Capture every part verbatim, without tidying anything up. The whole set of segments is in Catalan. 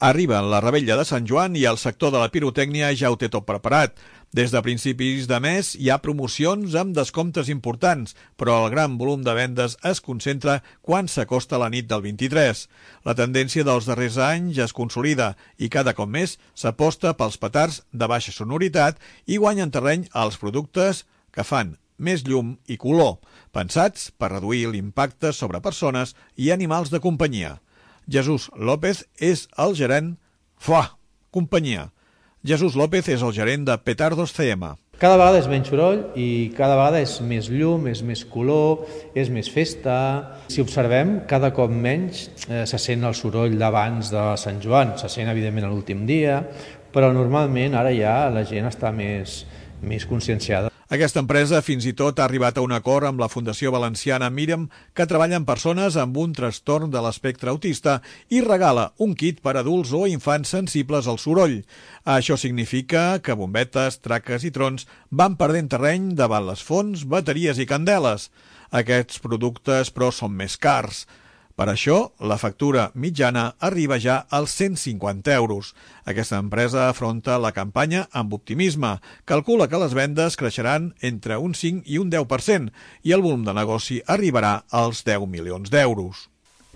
Arriba la revetlla de Sant Joan i el sector de la pirotècnia ja ho té tot preparat. Des de principis de mes hi ha promocions amb descomptes importants, però el gran volum de vendes es concentra quan s'acosta la nit del vint-i-tres. La tendència dels darrers anys es consolida i cada cop més s'aposta pels petards de baixa sonoritat i guanyen terreny als productes que fan més llum i color, pensats per reduir l'impacte sobre persones i animals de companyia. Jesús López és el gerent Fuà, companyia. Jesús López és el gerent de Petardos C M. Cada vegada és menys soroll i cada vegada és més llum, és més color, és més festa. Si observem, cada cop menys eh, se sent el soroll d'abans de Sant Joan. Se sent, evidentment, a l'últim dia, però normalment ara ja la gent està més, més conscienciada. Aquesta empresa fins i tot ha arribat a un acord amb la Fundació Valenciana Mirem, que treballa amb persones amb un trastorn de l'espectre autista i regala un kit per a adults o infants sensibles al soroll. Això significa que bombetes, traques i trons van perdent terreny davant les fonts, bateries i candeles. Aquests productes, però, són més cars. Per això, la factura mitjana arriba ja als cent cinquanta euros. Aquesta empresa afronta la campanya amb optimisme. Calcula que les vendes creixeran entre un cinc i un deu per cent i el volum de negoci arribarà als deu milions d'euros.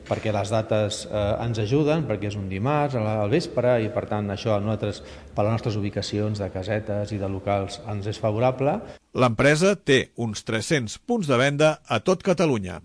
Perquè les dates eh, ens ajuden, perquè és un dimarts al vespre i per tant això a nosaltres, per les nostres ubicacions de casetes i de locals, ens és favorable. L'empresa té uns tres-cents punts de venda a tot Catalunya.